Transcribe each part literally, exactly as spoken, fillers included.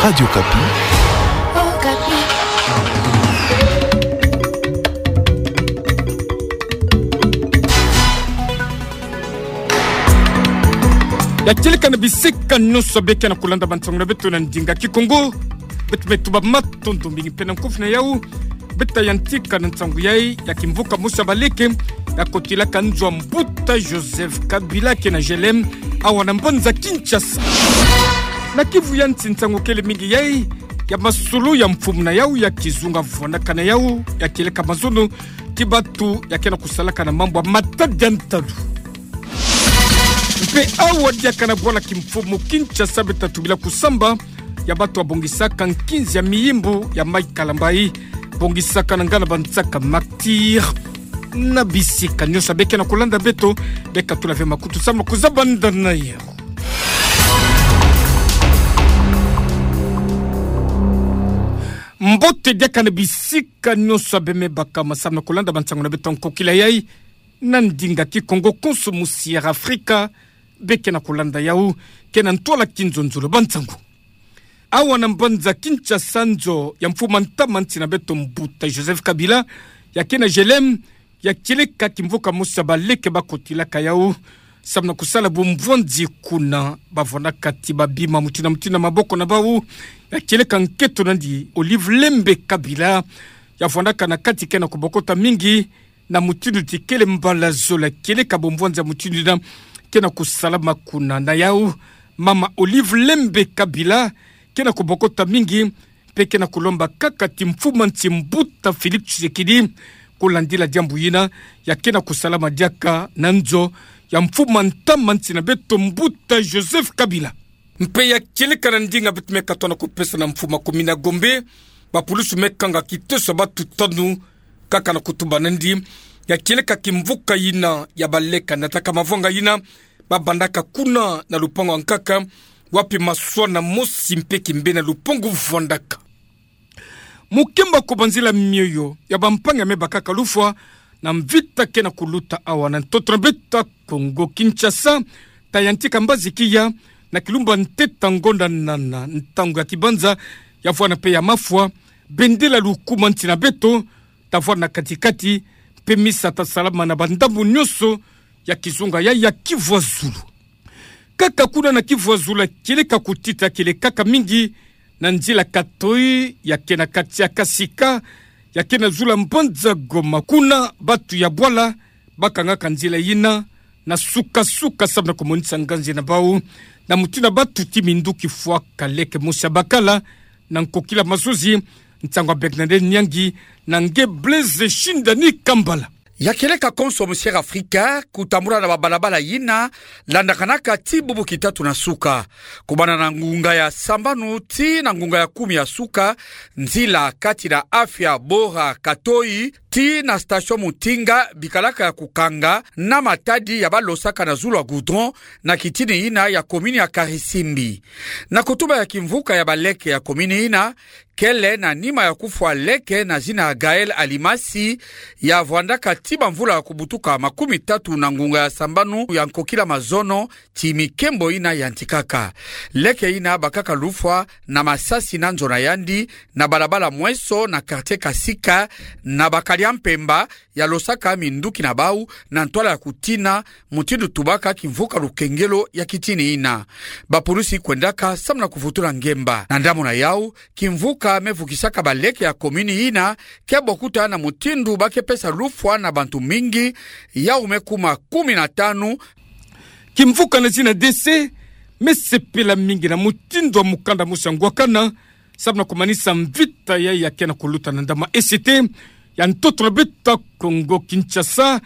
Radio Okapi. Ya kieleka na bisika nyonso beke na kulanda bansangu na beto na ndinga Kikongo. Beto me tuba matondo mingi mpe na nkufi na yau. Beta yantika na nsangu yai ya kimvuka mosi ya baleke ya kotilaka nzo ya mbuta Joseph Kabila ke na G L M, awa na mbanza Kinshasa. Na kivu ya nsi, nsangu kele mingi yai ya masolo ya mfumu na yau ya kizunga vwandaka na yau ya kieleka mazono ti batu ya ke na kusalaka na mambu ya matadi ya ntalu. Mpe awa diaka na bwala kimfumu Kinshasa beta tubila kusamba ya batu ya bongisaka nkinzi ya miyimbu ya mai kalambai, bongisaka na ngana bansaka martyrs. Na bisika nyonso beke na kulanda beto, beka tula ve makutu samu na kuzaba nda na yau. Mbote diaka na bisika nyonso beme baka masamu na kulanda bansangu na beto nkokila yai, na ndinga Kikongo konso mu Sierra Afrika, beke na kulanda yau, ke na ntwala kinzonzolo bansangu. Awa na mbanza Kinshasa, nzo ya mfumu a ntama nsi na beto mbuta Joseph Kabila ya ke na G L M, ya kieleka kimvuka mosi ya baleke ba kotilaka yau samu na kusala bumvwanzi kuna. Bavwandaka ti babima mutindu na mutindu na maboko na bau. Ya kieleka nketo nandi Olive Lembe Kabila, ya vwandaka na kati ke na kubokota mingi na mutindu ti kele mbala zola. Kieleka bumvwanzi ya mutindu yina ke na kusalama kuna. Na yau, mama Olive Lembe Kabila ke na kubokota mingi, mpe ke na kulomba kaka ti mfumu a nsi mbuta Félix Tshisekedi kulandila diambu yina ya ke na kusalama diaka na nzo ya mfumu a ntama nsi na beto mbuta Joseph Kabila. Mpe ya kieleka na ndinga beto me katona kupesa na mfumu a commune ya Gombe, bapulusu me kanga kiteso ya batu tanu, kaka na kutuba nandi ya kieleka kimvuka yina ya baleke na taka mavwanga yina babandaka kuna na lupangu ya nkaka, wapi maswa na mosi mpe kimbe na lupangu vwandaka. Mu kemba ko, banzila mioyo ya bampangi me bakaka lufwa na mvita ke na kuluta awa na ntoto na beto Kongo Kinshasa, ta yantika mbazi kiya na kilumba ntete ngonda nana, ntangu ya kibanza ya vwanda mpe ya mafwa, bendela lukuma nsi na beto ta vwanda na kati-kati, mpe misa ta salama na bandambu nyonso ya kizunga yai ya Kivu ya Zulu. Kaka kuna na Kivu ya Zulu, kieleka kutita kielekaka mingi na nzila Katoyi ya ke na kati ya Kasika, ya ke na zulu ya mbanza Goma. Kuna batu ya bwala bakangaka nzila yina na suka-suka samu na kumonisa nganzi na bau, na mutindu batu ti minduki fwaka leke mosi ya bakala na nkokila mazozi. Nsangu ya Bernadette Nyangi na nge Blaise Shindani Kambala. Ya kieleka konso mu Sierra Afrika, kutambula na babalabala yina landakanaka ti bubu kitatu na suka. Kubanda na ngunga ya sambanu tii na ngunga ya kumi ya suka, nzila kati na afya bora Katoyi tii na station Mutinga bikalaka ya kukanga na matadi ya balosaka na zulu ya goudron na kitini yina ya commune ya Karisimbi. Na kutuba ya kimvuka ya baleke ya commune yina, kele na nima ya kufwa leke na zina ya Gaël Alimasi, ya vwandaka ti bamvula ya kubutuka makumi tatu na ngunga ya sambanu ya nkokila mazono, ti mikembo yina yantikaka. Leke yina bakaka lufwa na masasi na nzo na yandi, na balabala Mweso na quartier Kasika, na bakadi ya mpemba, ya losaka minduki na bau na ntwala ya kutina, mutindu tubaka kimvuka lukengelo ya kitini yina. Bapulusi kwendaka samu na kuvutula ngemba. Na ndambu na yau, kimvuka me vukisaka baleke ya commune yina ke bokuta na mutindu ba ke pesa lufwa na bantu mingi, yau me kuma kumi na tanu. Kimvuka na zina décès me sepela mingi na mutindu ya mukanda mosi ya ngwakana, samu na kumanisa mvita yai ya ke na kuluta na ndama E C T ya ntoto na beto Kongo Kinshasa,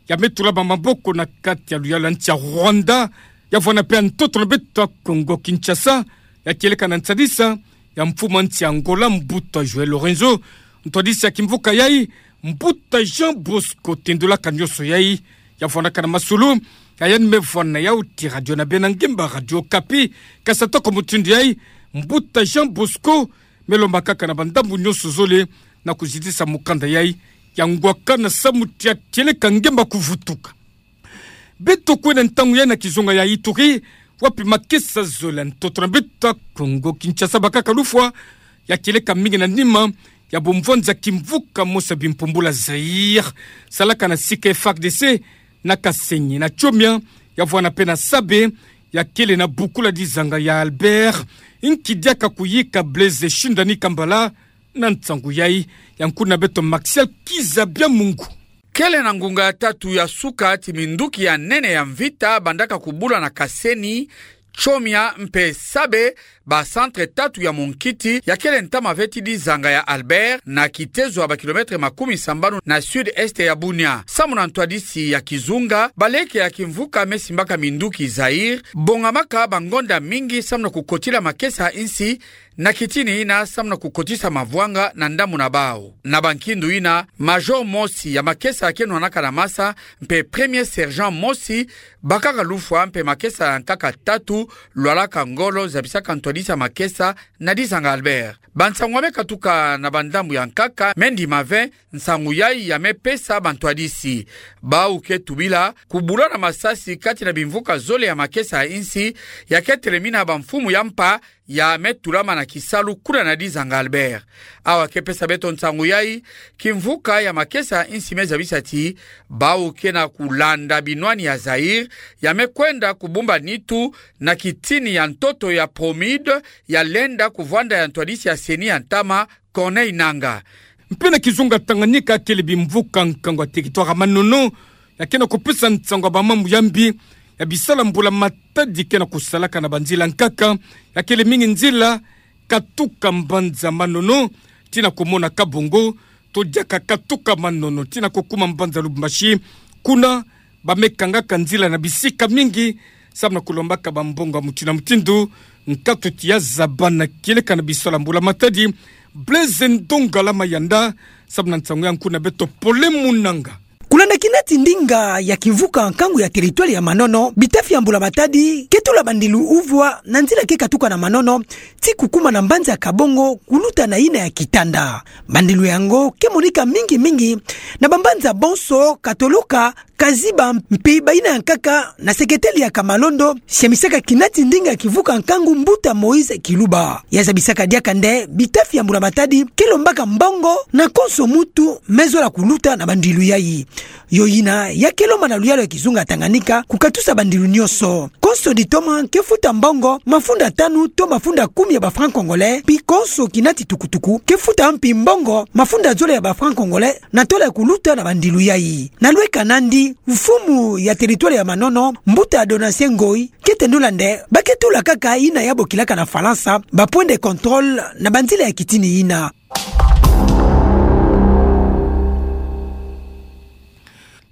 ya me tula bamaboko na kati ya luyalu ya nsi ya Rwanda, ya vwanda mpe ya ntoto na beto Kongo Kinshasa, ya kieleka na nsadisa ya mfumu a nsi ya Angola, mbuta João Lourenço. Ntwadisi ya kimvuka yai, mbuta Jean Bosco Tendolaka, nyonso yai ya vwandaka na masolo, ya yandi me vwanda na yau ti radio na bena ngemba Radio Okapi. Kasi atako mutindu yai, mbuta Jean Bosco me lomba kaka na bandambu nyonso zole na kuzitisa mukanda yai ya ngwakana samu ti ya kieleka ngemba kuvutuka. Beto kwenda ntangu yai na kizunga ya Ituri, wapi makesa zole ya ntoto na beto ya Kongo Kinshasa bakaka lufwa, ya kieleka mingi na nima ya bomvwanza kimvuka mosi ya bimpumbula Zaïre, salaka na sika F A R D C na Kasenyi, na Tchomia, ya vwana mpe na Sabe, ya kele na bukula dizanga ya Albert, nki diaka kuyika Blaise Shindani Kambala na nsangu yayi? Ya nkuna beto Maxiel Kiza Biamungu. Kele na ngunga ya tatu ya suka ti minduki ya nene ya mvita bandaka kubula na Kasenyi, Tchomia mpe Sabe, ba centre tatu ya monkiti ya kele ntama ve ti dizanga ya Albert, na kitezo ya ba kilomètre makumi sambanu na sud-est ya Bunia. Samu na ntwadisi ya kizunga, baleke ya kimvuka me simbaka minduki Zaïre bongamaka bangonda mingi samu na kukotila makesa ya insi, na kitini yina samu na kukotisa mavwanga na ndambu na bawu. Na bankindu yina, major mosi ya makesa ke nwanaka na masa, mpe premier sergent mosi bakaka lufwa, mpe makesa ya nkaka tatu lwalaka ngolo zabisaka ntwadisi ya makesa na dizanga Albert. Bansangu ya me katuka na bandambu ya nkaka me ndima ve nsangu yayi ya me pesa bantwadisi. Bawu ke tubila kubula na masasi kati na bimvuka zole ya makesa ya insi, ya ke telemina bamfumu ya mpa ya me tulama na kisalu kuna na dizanga Albert. Awa ke pesa beto nsangu yayi, kimvuka ya makesa ya insi me zabisa ti bawu ke na kulanda binwani ya Zaïre ya me kwenda kubumba nitu na kitini ya ntoto ya Promide, ya lenda kuvwanda ya ntwadisi ya CENI ya ntama, Corneille Nangaa. Mpe na kizunga Tanganyika, kele bimvuka nkangu ya territoire ya Manono ya ke na kupesa nsangu ya bamambu ya mbi ya bisalu ya mbula matadi ke na kusalaka na banzila nkaka, ya kele mingi nzila katuka mbanza Manono tii na kumona Kabongo, to diaka katuka Manono tii na kukuma mbanza Lubumbashi. Kuna ba me kangaka nzila na bisika mingi, samu na kulombaka bambongo ya mutindu na mutindu, nkatu ti ya zaba na kieleka na bisalu ya mbula matadi. Blaise Ndongala Mayanda, samu na nsangu ya nkuna beto Pole Munanga. Kulanda kina ti ndinga ya kimvuka nkangu ya territoire ya Manono, bitafi ya mbula matadi ke tula bandilu uvwa na nzila ke katuka na Manono tii kukuma na mbanza Kabongo kuluta na yina ya Kitanda. Bandilu yango ke monika mingi mingi na bambanza bonso, katoloka, kaziba mpe bayina ya nkaka na seketeli ya Kamalondo, siamisaka kina ti ndinga ya kimvuka nkangu mbuta Moïse Kiluba. Ya zabisaka diaka nde bitafi ya mbula matadi ke lombaka mbongo na konso muntu me zola kuluta na bandilu yayi. Yo yina ya ke lomba na luyalu ya kizunga Tanganyika kukatusa bandilu nyonso. Konso ditoma ke futa mbongo mafunda tanu to mafunda kumi ya ba francs congolais, mpi konso kina ti tukutuku ke futa mpi mbongo mafunda zole ya ba francs congolais, na tola ya kuluta na bandilu yayi. Na lweka nandi, mfumu ya territoire ya Manono, mbuta Donatien Ngoy, ke tendula nde ba ke tula kaka yina ya bokilaka na Falansa ba points de contrôle na banzila ya kitini yina.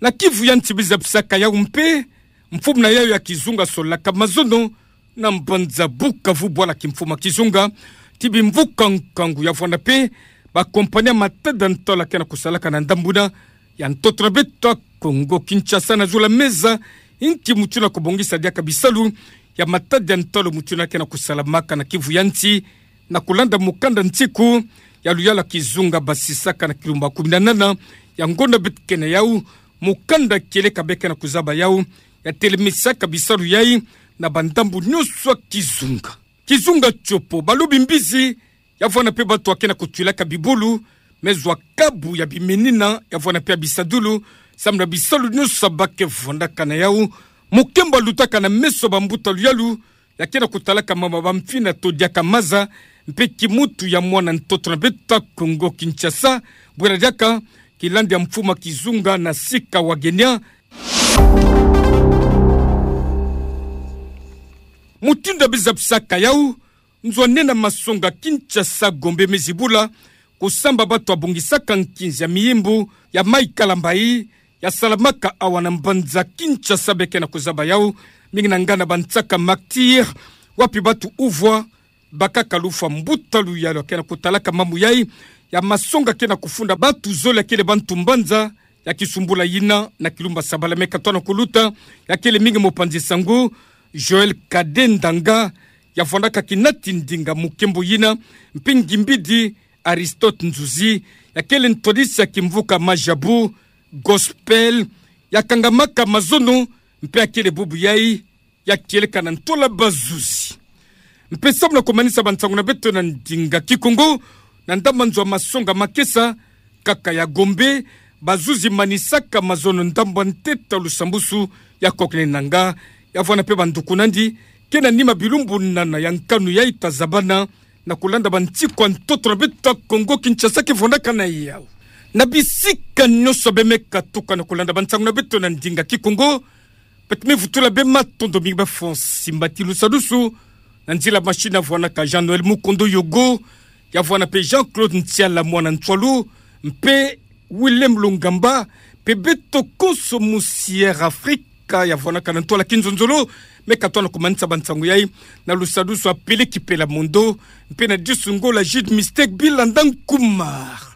Na Kivu ya Nsi, biza bisaka yawu mpe, mfumu na yawu ya kizunga solaka mazono na mbanza Bukavu, bwala kimfumu ya kizunga, ti bimvuka nkangu ya vwanda mpe ba compagnie ya matada ntwala ke na kusalaka na ndambu yina ya ntoto na beto ya Kongo Kinshasa na zula meza, nki mutu na kubongisa diaka bisalu ya matada ya ntwala mutu na ke na kusalamaka na Kivu ya Nsi, na kulanda mukanda nsiku ya luyalu ya kizunga basisaka na kilumbu kumi na nana ya ngonda beto ke na yawu. Mukanda kieleka be ke na kuzaba yawu, ya telemisaka bisalu yayi na bandambu nyonso ya kizunga. Kizunga Tshopo, balobi mbizi, ya vwanda mpe bato ya ke na kutwilaka bibulu, me zwa kabu ya bimenina, ya vwanda mpe ya bisadulu, samu na bisalu nyonso ba ke vwandaka na yawu. Mukembo lutaka na meso ya bambuta luyalu, ya ke na kutalaka mama bamfina to diaka maza, mpe kimutu ya mwana ntoto na beto ya Kongo Kinshasa, bwela diaka kilandi ya mfumu ya kizunga na sika Wagenia. Mutindu biza bisaka yawu, nzo nene ya masonga Kinshasa Gombe me zibula, kusamba bato ya bongisaka nkinzi ya miyimbu ya Mayi Kalambayi, ya salamaka awa na mbanza Kinshasa, be ke na kuzaba yawu mingi na ngana bansaka martyrs, wapi bato uvwa bakaka lufwa. Mbuta luyalu ya ke na kutalaka mambu yayi ya masonga ke na kufunda bato zole ya kele bantu mbanza ya kisumbula yina na kilumbu sabala me katona kuluta, ya kele mingi mopanzi sango Joël Kade Ndanga, ya vwandaka kina ti ndinga mukembo yina, mpe ngimbidi Aristote Nzuzi, ya kele ntwadisi ya kimvuka Majabu Gospel, ya kangamaka mazono, mpe ya kele bubu yayi ya kieleka na ntola bazuzi. Mpe samu na kumanisa bansangu na beto na ndinga Kikongo, na ndambu nzo ya masonga makesa, kaka ya Gombe, bazuzi manisaka mazono ndambu ya ntete ya lusambusu ya kokene nanga, ya vwanda mpe banduku nandi, kena nima bilumbunana ya nkanu ya ita zabana, na kulanda bansiku ya ntoto na beto ya Kongo Kinshasa ke vwandaka na yau. Na bisika nyonso beno me katuka na kulanda bansangu na beto na ndinga Kikongo, beto me vutula beno matondo mingi bafo simba ti lusadusu, na nzila machine ya vwandaka Jean-Noël Mukondo Yogo, ya vwanda mpe Jean-Claude Ntiala mwana Ntswalu, mpe Willem Lungamba, mpe beto konso musi Air Afrika ya vwandaka na ntwala kinzonzolo, me katwa na kumanisa bansangu yai, na lusadusu ya Peleki Pelamondo, mpe na disu ngola Jude Mistake Bilanda Nkumar.